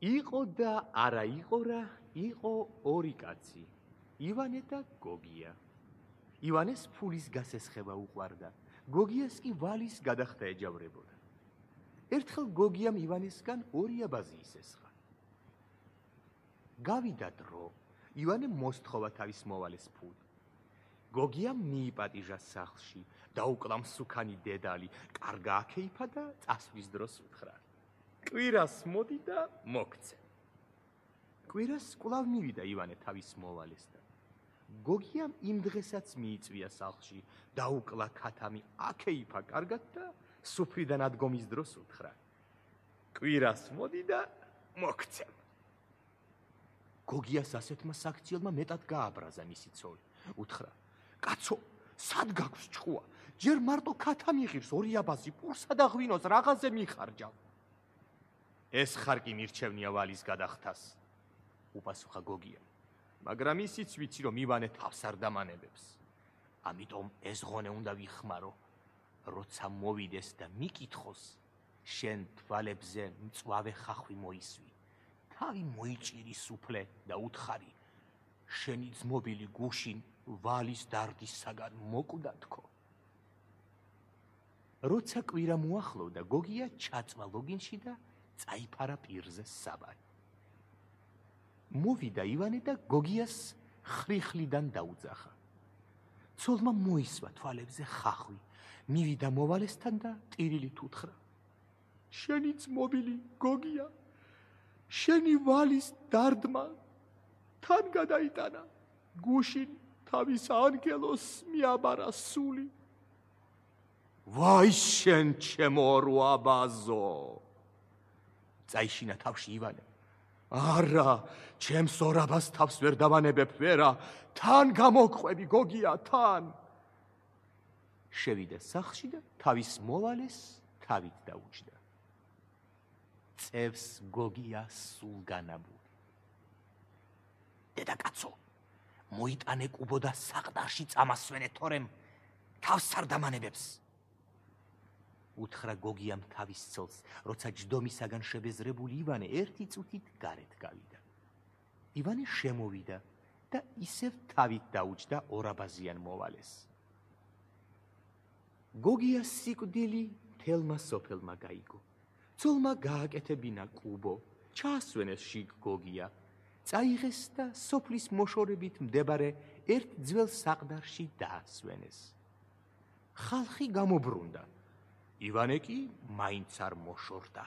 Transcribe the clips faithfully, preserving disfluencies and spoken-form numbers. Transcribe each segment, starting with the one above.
იყო და არა იყო რა, იყო ორი კაცი, ივანე და გოგია. ივანეს ფულის გასესხება უყვარდა, გოგიას კი ვალის გადახდა ეჯავრებოდა. ერთხელ გოგიამ ივანესგან ორი აბაზი ისესხა. გავიდა დრო, ივანე მოსთხოვა თავის მოვალეს ფული. გოგიამ მიიპატიჟა სახლში, დაუკლა მსუქანი დედალი, კარგა აქეიფა და წასვლის დროს უთხრა: კვირას მოდი და მოგცე. კვირას კვლავ მივიდა ივანე თავის მოვალესთან. გოგიამ იმ დღესაც მიიწვია სახლში, დაუკლა ქათამი აქეიფა კარგად და სუფრიდან ადგომის დროს უთხრა: კვირას მოდი და მოგცე. გოგიას ასეთმა საქციელმა მეტად გააბრაზა მისი ცოლი. უთხრა: კაცო, სად გაქვს ჭკუა? ჯერ მარტო ქათამი ღირს ორი აბაზი პურსა და ღვინოს რაღაცზე მიხარჯავ. ეს ხარ კი მირჩევნია ვალის გადახდას, უპასუხა გოგიამ. მაგრამ ისიც ვიცი, რომ ივანე თავს არ დამანებებს. ამიტომ ეს ღონე უნდა ვიხმარო, როცა მოვიდეს და მიკითხოს, შენ თვალებზე მწვავე ხახვი მოისვი, თავი მოიჭირი სუფლე და უთხარი: შენი ძმობილი გუშინ ვალის დარდისაგან მოკვდა თქო. როცა კვირა მოახლოვდა, გოგია ჩაწვა ლოგინში და წაიფარა პირზე საბარი. მოვიდა ივანე და გოგიას ხრიხლიდან დაუძახა. ცოლმა მოისვა თვალებზე ხახვი, მივიდა მოვალესთან და ტირილით უთხრა: შენი ძმობილი გოგია, შენი ვალის დარდმა თან გადაიტანა, გუშინ თავის ანგელოს მიაბარა სული. ვაი შენ ჩემო ორო აბაზო! წაიშინა თავში ივანე. არა, ჩემს ორ აბაზს თავს ვერ დავანებებ ვერა, თან გამოგყვები გოგია, თან. შევიდა სახლში და თავის მოვალეს თავით დაუჯდა. წევს გოგია სულგანაბური. დედაკაცო, მოიტანე კუბო და საყდარში წამასვენე, თორემ თავს არ დამანებებს. უთხრა გოგიამ თავის ცოლს, როცა ჯდომისაგან შებეზრებული ივანე ერთი წუთით გარეთ გავიდა. ივანე შემოვიდა და ისევ თავით დაუჯდა ორაბაზიან მოვალეს. გოგიას სიკვდილი თელმა სოფელმა გაიგო. ცოლმა გააკეთებინა კუბო, ჩაასვენეს შიგ გოგია, წაიღეს და სოფლის მოშორებით მდებარე ერთ ძველ საყდარში დაასვენეს. ხალხი გამობრუნდა. ივანე კი მაინც არ მოშორდა,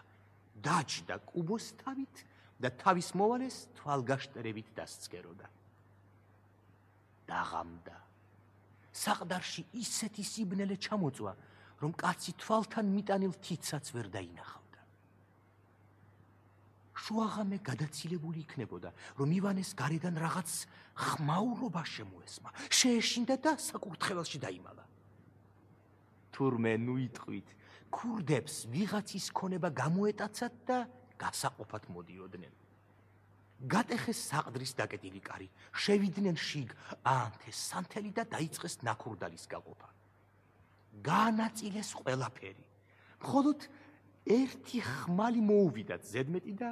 დაჯდა კუბოს თავით და თავის მოვალეს თვალგაშტერებით დასცქეროდა. დაღამდა. საყდარში ისეთი სიბნელე ჩამოწვა, რომ კაცი თვალთან მიტანილ თითსაც ვერ დაინახავდა. შუაღამე გადაცილებული იქნებოდა, რომ ივანეს გარედან რაღაც ხმაურობა შემოესმა, შეეშინდა და საკურთხეველში დაიმალა. თურმე ნუ იტყვით, ქურდებს ვიღაცის ქონება გამოეტაცათ და გასაყოფად მოდიოდნენ. გატეხეს საყდრის დაკეტილი კარი, შევიდნენ შიგ, აანთეს სანთელი და დაიწყეს ნაქურდალის გაყოფა. გაანაწილეს ყველაფერი. მხოლოდ ერთი ხმალი მოუვიდათ ზედმეტი და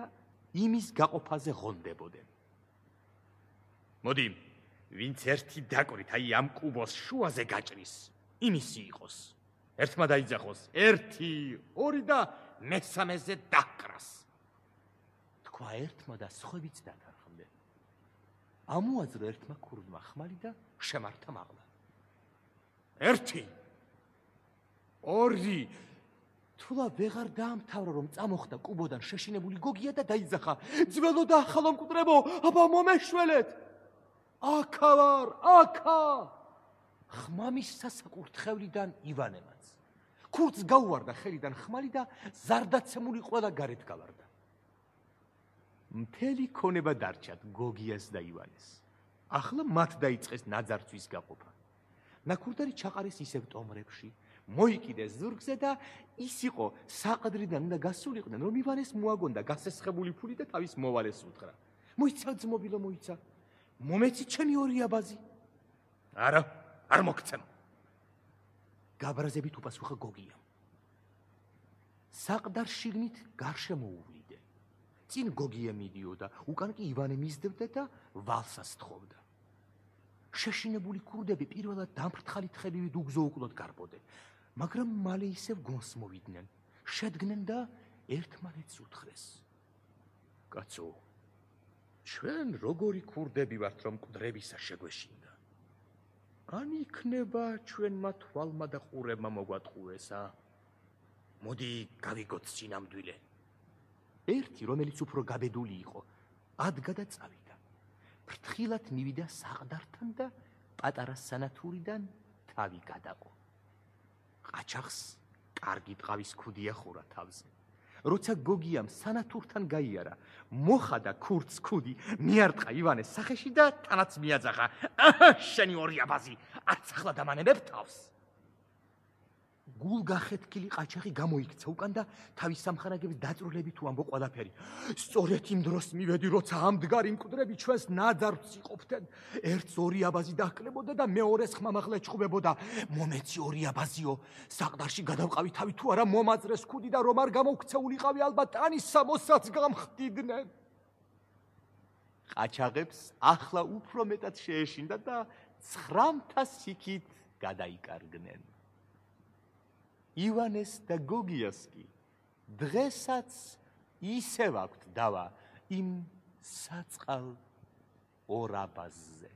იმის გაყოფაზე ღონდებოდნენ. მოდი, ვინც ერთი დაკვირით, აი ამ კუბოს შუაზე გაჭრის, იმისი იყოს. ერთმა დაიძახოს, ერთი, ორი და მესამეზე დაკრას. თქვა ერთმა და სხვებიც დათანხმდნენ. ამოაძრო ერთმა ქურდმა ხმალი და შემართა მაღლა. ერთი, ორი. თულა ვეღარ დაამთავრა, რომ წამოხდა კუბოდან შეშინებული გოგია და დაიძახა: ძველო და ახალო მკვდრებო, აბა მომეშველეთ! აქა ვარ, აქა! ხმამის სასაკურთხევლიდან ივანემაც. ქურდს გაუვარდა ხელიდან ხმალი და ზარდაცემული ყველა გარეთ გავარდა. მთელი ქონება დარჩათ გოგიას და ივანეს. ახლა მათ დაიწყეს ნაძარცვის გაყოფა. ნაქურდარი ჩაყარეს ისევ ტომრებში, მოიკიდეს ზურგზე და ის იყო საყდრიდან უნდა გასულიყვნენ, რომ ივანეს მოაგონდა გასესხებული ფული და თავის მოვალეს უთხრა: მოიცა ძმობილო, მოიცა, მომეცი ჩემი ორი აბაზი. არა, არ მოგცემ. გაბრაზებით უპასუხა გოგიამ. საყდარ შიგნით გარშემო უვლიდე. წინ გოგია მიდიოდა, უკან კი ივანე მისდევდა და ვალსას თხოვდა. შეშინებული ქურდები პირველად დამფრთხალი თხევივით უგზო უკლოდ გარბოდნენ, მაგრამ მალე ისევ გონს მოვიდნენ, შედგნენ და ერთმანეთს უთხრეს. კაცო, ჩვენ როგორი ქურდები ვართ, რომ მკვდრებისა შეგვეშინდა? ან იქნება ჩვენმა თვალმა და ყურებმა მოგვატყუესა? მოდი გავიგოთ წინამდვილე. ერთი, რომელიც უფრო გაბედული იყო, ადგა და წავიდა. ფრთხილად მივიდა საყდართან და პატარა სანათურიდან თავი გადაყო. ყაჩაღს კარგი ტყავის ქუდი ახურა თავზე. როცა გოგიამ სანათურთან გაიარა, მოხადა ქურდს ქუდი, მიარტყა ივანეს სახეში და თანაც მიაძახა. შენი ორი აბაზი, არც ახლა დამანებებ თავს. გულგახეთქილი ყაჩაღი გამოიქცა უკან და თავის სამხარაგების დაწვრილებით თუ ამბო ყველაფერი. სწორედ იმ დროს მივედი, როცა ამდგარი მკვდრები ჩვენს ნაძარს იყოფდნენ. ერთს ორი აბაზი დაჰკლებოდა და მეორეს ხმამაღლა ეჩხუბებოდა. მომეცი ორი აბაზიო, საყდარში გადავყავი თავი თუ არა მომაძრეს ქუდი და რომ არ გამოვქცეულიყავი, ალბათ ტანის სამოსაც გამხდიდნენ. ყაჩაღებს ახლა უფრო მეტად შეეშინდა და ცხრამთა სიქით გადაიკარგნენ. ივანეს და გოგიას კი დღესაც ისევ აქვთ დავა იმ საწყალ ორ აბაზზე.